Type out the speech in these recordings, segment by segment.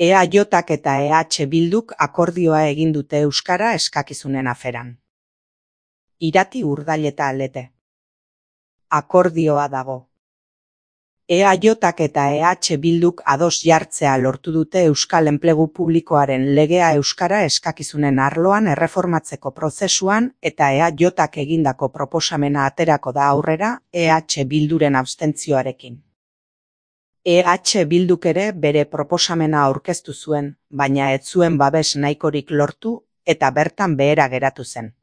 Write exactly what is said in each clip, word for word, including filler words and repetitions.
E A Jk eta E H Bilduk akordioa egin dute euskara eskakizunen aferan. Irati Urdaileta Lete. Akordioa dago. E A Jk eta E H Bilduk ados jartzea lortu dute Euskal Enplegu Publikoaren legea euskara eskakizunen arloan erreformatzeko prozesuan eta E A Jk egindako proposamena aterako da aurrera E H Bilduren abstentzioarekin. E H Bilduk ere bere proposamena aurkeztu zuen, baina ez zuen babes nahikorik lortu eta bertan behera geratu zen.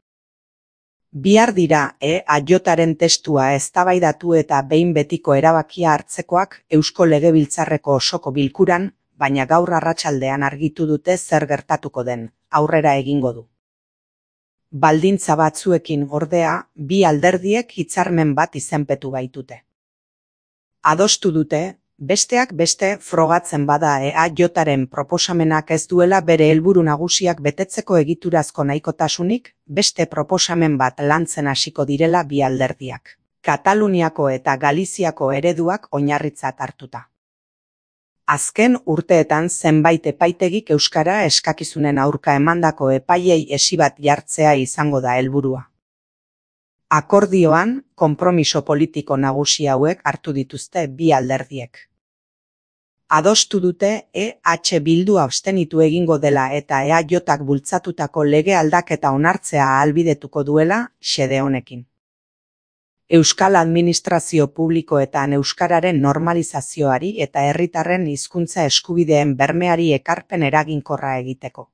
Bihar dira E A Jren testua eztabaidatu eta behin betiko erabakia hartzekoak Eusko Legebiltzarreko osoko bilkuran, baina gaur arratsaldean argitu dute zer gertatuko den, aurrera egingo du. Baldintza batzuekin ordea, bi alderdiek hitzarmen bat izenpetu baitute. Adostu dute, besteak beste frogatzen bada E A Jren proposamenak ez duela bere helburu nagusiak betetzeko egiturazko nahikotasunik, beste proposamen bat lantzen hasiko direla bi alderdiak. Kataluniako eta Galiziako ereduak oinarritzat hartuta. Azken urteetan zenbait epaitegik euskara eskakizunen aurka emandako epaiei hesi bat jartzea izango da helburua. Akordioan, konpromiso politiko nagusi hauek hartu dituzte bi alderdiek. Adostu dute E H Bildu abstenitu egingo dela eta E A Jk bultzatutako lege aldaketa onartzea ahalbidetuko duela xede honekin. Euskal administrazio publikoetan euskararen normalizazioari eta herritarren hizkuntza eskubideen bermeari ekarpen eraginkorra egiteko.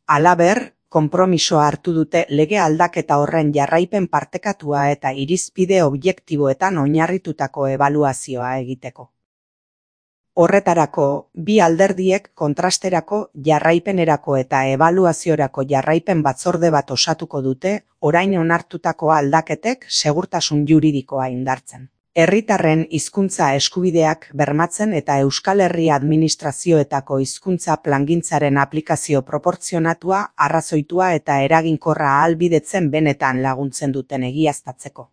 Halaber, konpromisoa hartu dute lege aldaketa horren jarraipen partekatua eta irizpide objektiboetan oinarritutako ebaluazioa egiteko. Horretarako, bi alderdiek kontrasterako, jarraipenerako eta ebaluaziorako jarraipen batzorde bat osatuko dute, orain onartutako aldaketek segurtasun juridikoa indartzen. Herritarren hizkuntza eskubideak bermatzen eta Euskal Herri administrazioetako hizkuntza plangintzaren aplikazio proportzionatua, arrazoitua eta eraginkorra ahalbidetzen benetan laguntzen duten egiaztatzeko.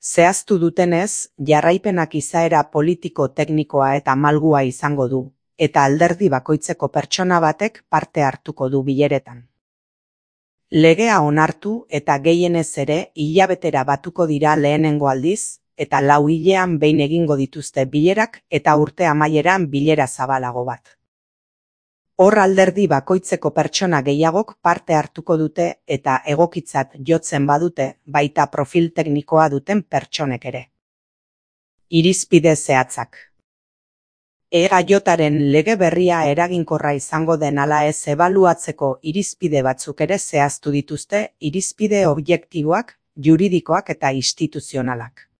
Zehaztu dutenez, jarraipenak izaera politiko-teknikoa eta malgua izango du, eta alderdi bakoitzeko pertsona batek parte hartuko du bileretan. Legea onartu eta gehienez ere hilabetera batuko dira lehenengo aldiz, eta lau hilean behin egingo dituzte bilerak eta urte amaieran bilera zabalago bat. Hor alderdi bakoitzeko pertsona gehiagok parte hartuko dute eta egokitzat jotzen badute baita profil teknikoa duten pertsonek ere. Irizpide zehatzak. E A Jren lege berria eraginkorra izango den ala ez ebaluatzeko irizpide batzuk ere zehaztu dituzte, irizpide objektiboak, juridikoak eta instituzionalak.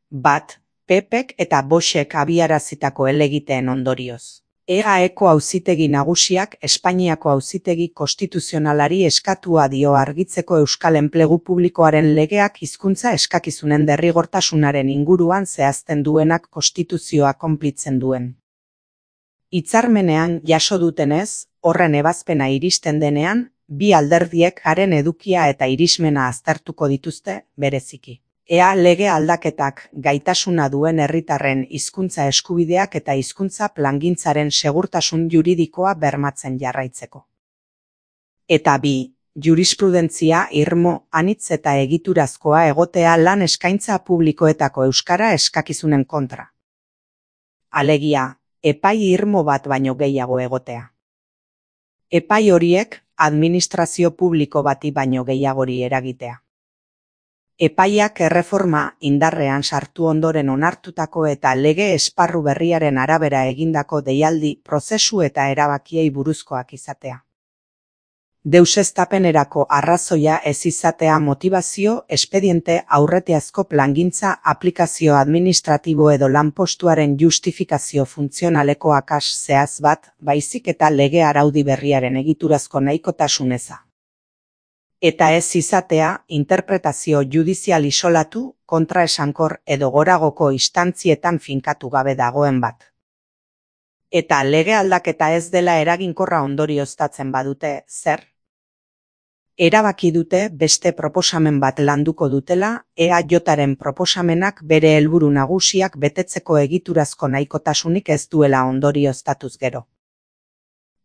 Bat, P Pek eta Boxek abiarazitako helegiteen ondorioz. E G A Eko auzitegi nagusiak Espainiako auzitegi konstituzionalari eskatua dio argitzeko Euskal Enplegu Publikoaren legeak hizkuntza eskakizunen derrigortasunaren inguruan zehazten duenak konstituzioa konplitzen duen. Hitzarmenean jaso dutenez, horren ebazpena iristen denean, bi alderdiek haren edukia eta irismena aztertuko dituzte bereziki. Ea lege aldaketak gaitasuna duen herritarren hizkuntza eskubideak eta hizkuntza plangintzaren segurtasun juridikoa bermatzen jarraitzeko. Eta bi, jurisprudentzia irmo, anitz eta egiturazkoa egotea lan eskaintza publikoetako euskara eskakizunen kontra. Alegia, epai irmo bat baino gehiago egotea. Epai horiek administrazio publiko bati baino gehiagori eragitea. Epaiak erreforma indarrean sartu ondoren onartutako eta lege esparru berriaren arabera egindako deialdi, prozesu eta erabakiei buruzkoak izatea. Deuseztapenerako arrazoia ez izatea motibazio, espediente aurretiazko plangintza, aplikazio administratibo edo lanpostuaren justifikazio funtzionaleko akas zehaz bat, baizik eta lege araudi berriaren egiturazko nahikotasun eza. Eta ez izatea interpretazio judizial isolatu, kontraesankor edo goragoko instantzietan finkatu gabe dagoen bat. Eta lege aldaketa ez dela eraginkorra ondorioztatzen badute, zer? Erabaki dute beste proposamen bat landuko dutela, E A Jaren proposamenak bere helburu nagusiak betetzeko egiturazko nahikotasunik ez duela ondorioztatuz gero.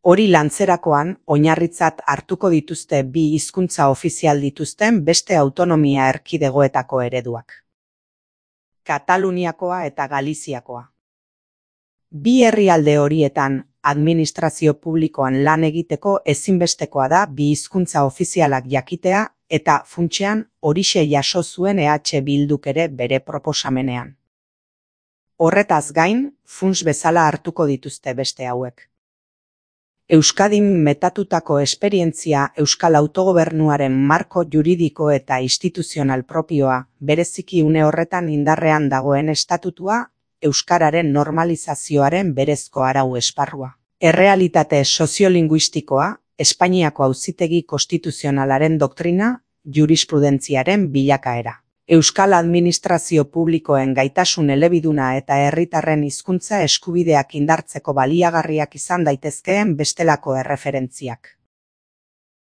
Hori lantzerakoan, oinarritzat hartuko dituzte bi hizkuntza ofizial dituzten beste autonomia erkidegoetako ereduak. Kataluniakoa eta Galiziakoa. Bi herrialde horietan, administrazio publikoan lan egiteko ezinbestekoa da bi hizkuntza ofizialak jakitea eta funtsean horixe jaso zuen E H Bilduk ere bere proposamenean. Horretaz gain, funts bezala hartuko dituzte beste hauek. Euskadin metatutako esperientzia Euskal Autogobernuaren marko juridiko eta instituzional propioa, bereziki une horretan indarrean dagoen estatutua, euskararen normalizazioaren berezko arau esparrua. Errealitate soziolinguistikoa, Espainiako Auzitegi Konstituzionalaren doktrina, jurisprudentziaren bilakaera. Euskal administrazio publikoen gaitasun elebiduna eta herritarren hizkuntza eskubideak indartzeko baliagarriak izan daitezkeen bestelako erreferentziak.